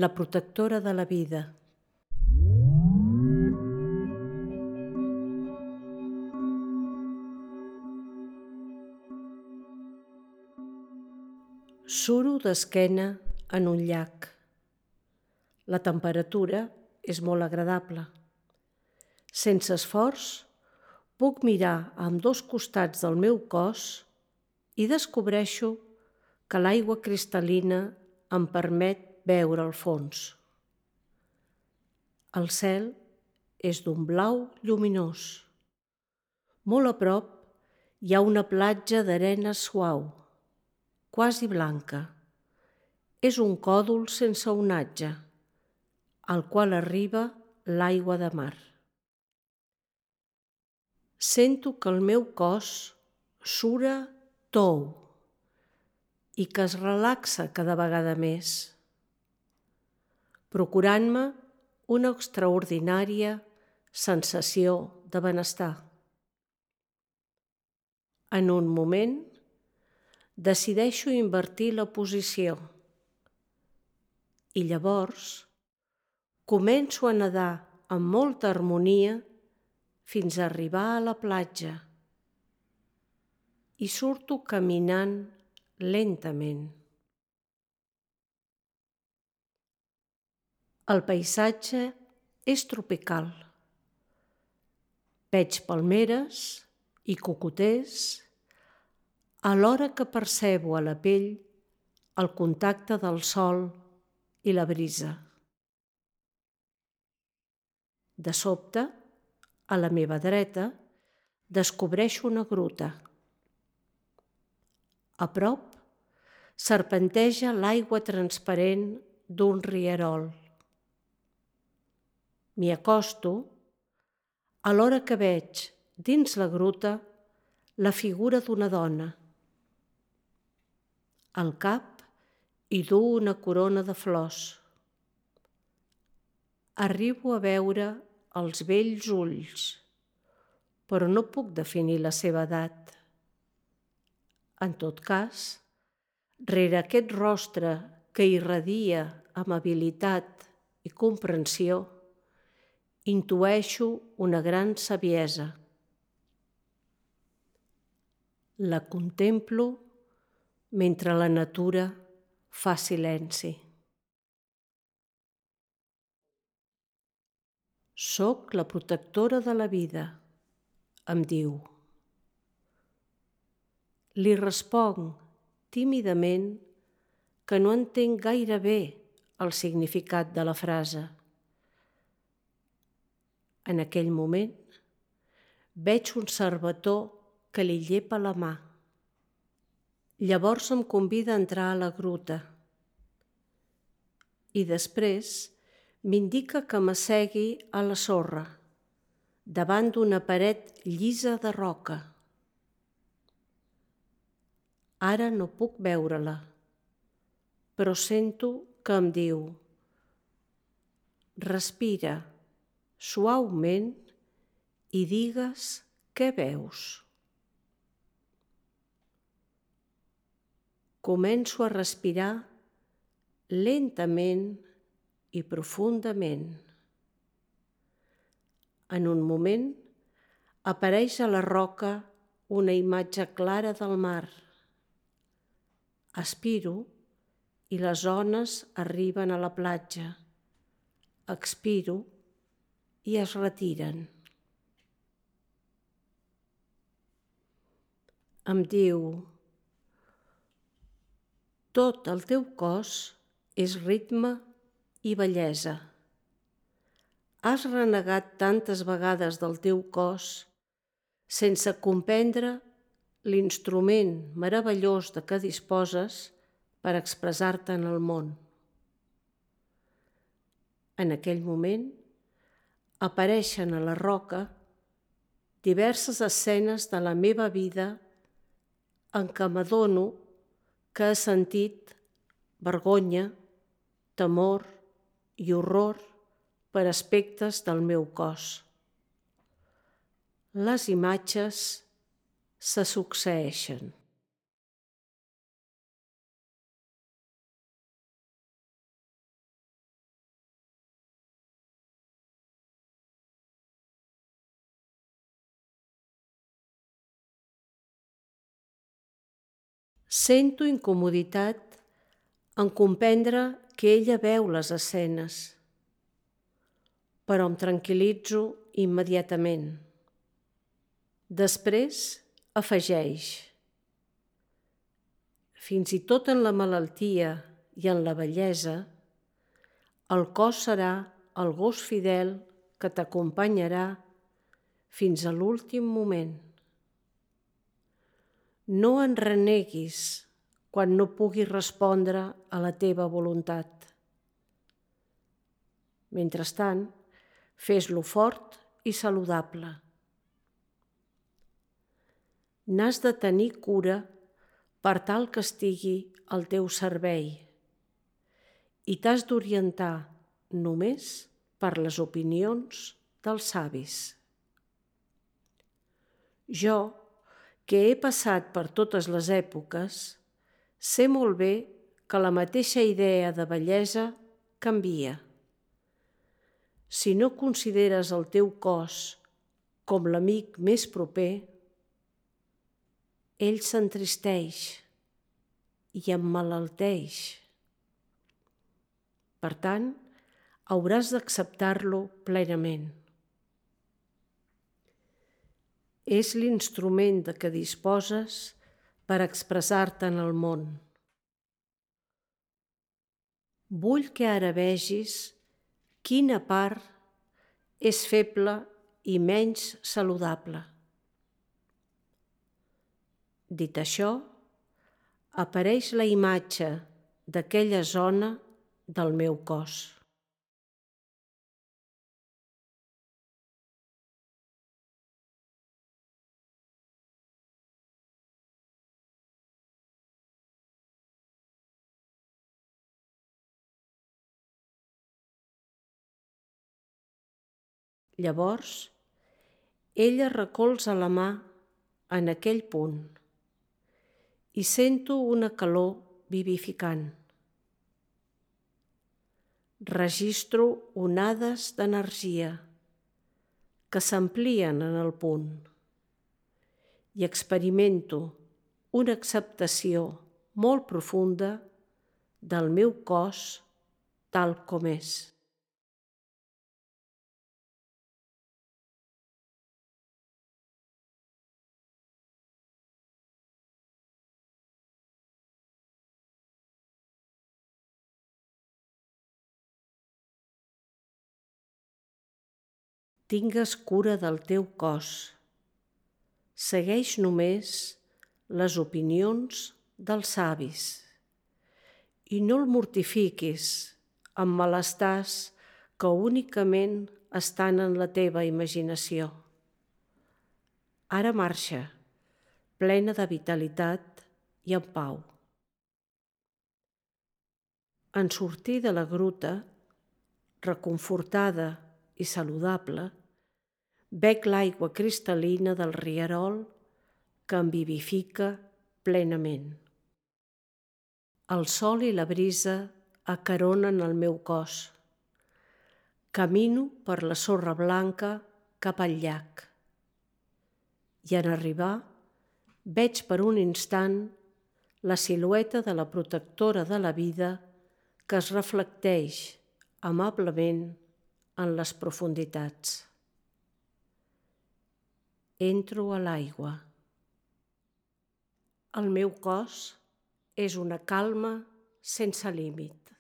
la protectora de la vida. Suro d'esquena en un llac. La temperatura és molt agradable. Sense esforç, puc mirar a ambdós costats del meu cos i descobreixo que l'aigua cristal·lina em permet veure el fons. El cel és d'un blau lluminós. Molt a prop hi ha una platja d'arena suau, quasi blanca. És un còdol sense onatge, al qual arriba l'aigua de mar. Sento que el meu cos sura tou i que es relaxa cada vegada més, procurant-me una extraordinària sensació de benestar. En un moment, decideixo invertir la posició i llavors començo a nedar amb molta harmonia fins a arribar a la platja i surto caminant lentament. El paisatge és tropical. Veig palmeres i cocoters alhora que percebo a la pell el contacte del sol i la brisa. De sobte, a la meva dreta, descobreixo una gruta. A prop, serpenteja l'aigua transparent d'un rierol. M'hi acosto, alhora que veig, dins la gruta, la figura d'una dona. Al cap hi duu una corona de flors. Arribo a veure els bells ulls, però no puc definir la seva edat. En tot cas, rere aquest rostre que irradia amabilitat i comprensió, intueixo una gran saviesa. La contemplo mentre la natura fa silenci. Soc la protectora de la vida, em diu. Li responc tímidament que no entenc gaire bé el significat de la frase. En aquell moment, veig un servetó que li llepa la mà. Llavors em convida a entrar a la gruta i després m'indica que m'assegui a la sorra, davant d'una paret llisa de roca. Ara no puc veure-la, però sento que em diu: respira suaument i digues què veus. Començo a respirar lentament i profundament. En un moment, apareix a la roca una imatge clara del mar. Aspiro i les ones arriben a la platja. Expiro i es retiren. Em diu: tot el teu cos és ritme i bellesa. Has renegat tantes vegades del teu cos sense comprendre l'instrument meravellós de què disposes per expressar-te en el món. En aquell moment, apareixen a la roca diverses escenes de la meva vida en què m'adono que he sentit vergonya, temor i horror per aspectes del meu cos. Les imatges se succeeixen. Sento incomoditat en comprendre que ella veu les escenes, però em tranquil·litzo immediatament. Després afegeix: fins i tot en la malaltia i en la vellesa, el cos serà el gos fidel que t'acompanyarà fins a l'últim moment. No en reneguis quan no puguis respondre a la teva voluntat. Mentrestant, fes-lo fort i saludable. N'has de tenir cura per tal que estigui al teu servei i t'has d'orientar només per les opinions dels savis. Jo, que he passat per totes les èpoques, sé molt bé que la mateixa idea de bellesa canvia. Si no consideres el teu cos com l'amic més proper, ell s'entristeix i emmalalteix. Per tant, hauràs d'acceptar-lo plenament. És l'instrument de què disposes per expressar-te en el món. Vull que ara vegis quina part és feble i menys saludable. Dit això, apareix la imatge d'aquella zona del meu cos. Llavors, ella recolza la mà en aquell punt i sento una calor vivificant. Registro onades d'energia que s'amplien en el punt i experimento una acceptació molt profunda del meu cos tal com és. Tingues cura del teu cos. Segueix només les opinions dels savis i no el mortifiquis amb malestars que únicament estan en la teva imaginació. Ara marxa, plena de vitalitat i en pau. En sortir de la gruta, reconfortada i saludable, bec l'aigua cristal·lina del rierol que em vivifica plenament. El sol i la brisa acaronen el meu cos. Camino per la sorra blanca cap al llac. I en arribar, veig per un instant la silueta de la protectora de la vida que es reflecteix amablement en les profunditats. Entro a l'aigua. El meu cos és una calma sense límit.